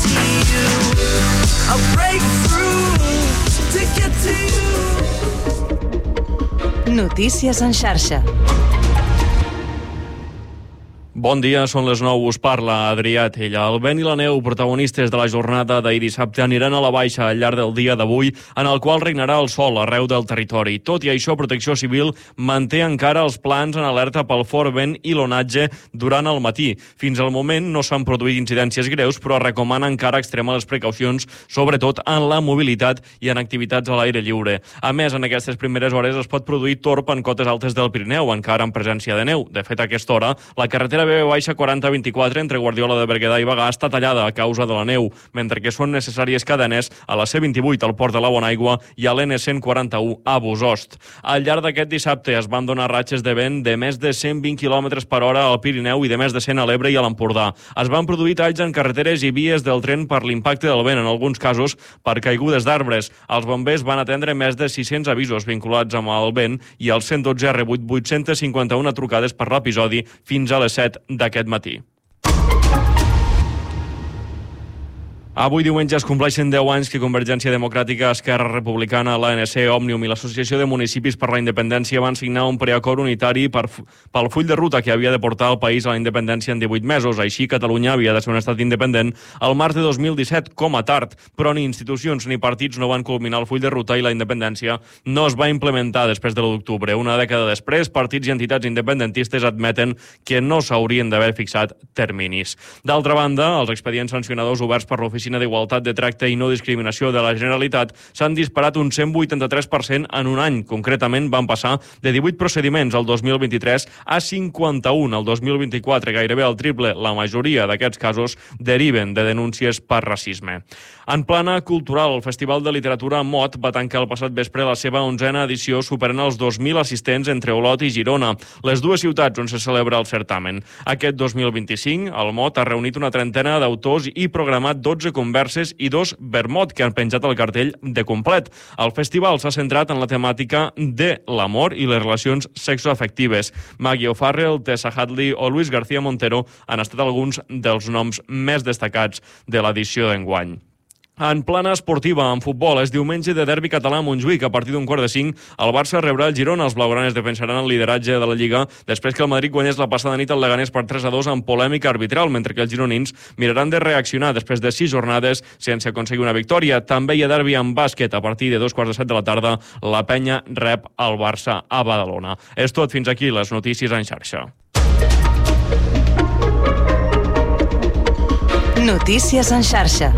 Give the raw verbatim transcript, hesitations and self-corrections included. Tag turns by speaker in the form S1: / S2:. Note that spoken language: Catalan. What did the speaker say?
S1: to you. I'll break through to get to you.
S2: Notícies en xarxa.
S3: Bon dia, són les nou, us parla Adrià Tella. El vent i la neu, protagonistes de la jornada d'ahir dissabte, aniran a la baixa al llarg del dia d'avui, en el qual regnarà el sol arreu del territori. Tot i això, Protecció Civil manté encara els plans en alerta pel fort vent i l'onatge durant el matí. Fins al moment no s'han produït incidències greus, però recomana encara extremar les precaucions, sobretot en la mobilitat i en activitats a l'aire lliure. A més, en aquestes primeres hores es pot produir torb en cotes altes del Pirineu, encara en presència de neu. De fet, a aquesta hora, la carretera B baixa quaranta vint-i-quatre entre Guardiola de Berguedà i Bagà està tallada a causa de la neu, mentre que són necessàries cadenes a la C vint-i-vuit al Port de la Bonaigua i a l'N cent quaranta-u a Bosost. Al llarg d'aquest dissabte es van donar ratxes de vent de més de cent vint quilòmetres per hora al Pirineu i de més de cent a l'Ebre i a l'Empordà. Es van produir talls en carreteres i vies del tren per l'impacte del vent, en alguns casos per caigudes d'arbres. Els bombers van atendre més de sis-cents avisos vinculats amb el vent i el cent dotze ha rebut vuit-cents cinquanta-una trucades per l'episodi fins a les set d'aquest matí. Avui diumenge es compleixen deu anys que Convergència Democràtica, Esquerra Republicana, l'A N C, Òmnium i l'Associació de Municipis per la Independència van signar un preacord unitari per, pel full de ruta que havia de portar el país a la independència en divuit mesos. Així, Catalunya havia de ser un estat independent al març de dos mil disset, com a tard, però ni institucions ni partits no van culminar el full de ruta i la independència no es va implementar després de l'u d'octubre. Una dècada després, partits i entitats independentistes admeten que no s'haurien d'haver fixat terminis. D'altra banda, els expedients sancionadors oberts per l'Oficina d'Igualtat de Tracte i No Discriminació de la Generalitat s'han disparat un cent vuitanta-tres per cent en un any. Concretament, van passar de divuit procediments al dos mil vint-i-tres a cinquanta-un al dos mil vint-i-quatre, gairebé el triple. La majoria d'aquests casos deriven de denúncies per racisme. En plana cultural, el Festival de Literatura Mot va tancar el passat vespre la seva onzena edició, superant els dos mil assistents entre Olot i Girona, les dues ciutats on se celebra el certamen. Aquest dos mil vint-i-cinc, el Mot ha reunit una trentena d'autors i programat dotze converses i dos vermut que han penjat el cartell de complet. El festival s'ha centrat en la temàtica de l'amor i les relacions sexoafectives. Maggie O'Farrell, Tessa Hadley o Luis García Montero han estat alguns dels noms més destacats de l'edició d'enguany. En plana esportiva, en futbol, és diumenge de derbi català a Montjuïc. A partir d'un quart de cinc, el Barça rebrà el Girona. Els blaugranes defensaran el lideratge de la Lliga després que el Madrid guanyés la passada nit al Leganés per tres a dos amb polèmica arbitral, mentre que els gironins miraran de reaccionar després de sis jornades sense aconseguir una victòria. També hi ha derbi en bàsquet. A partir de dos quarts de set de la tarda, la Penya rep el Barça a Badalona. És tot, fins aquí les notícies en xarxa.
S2: Notícies en xarxa.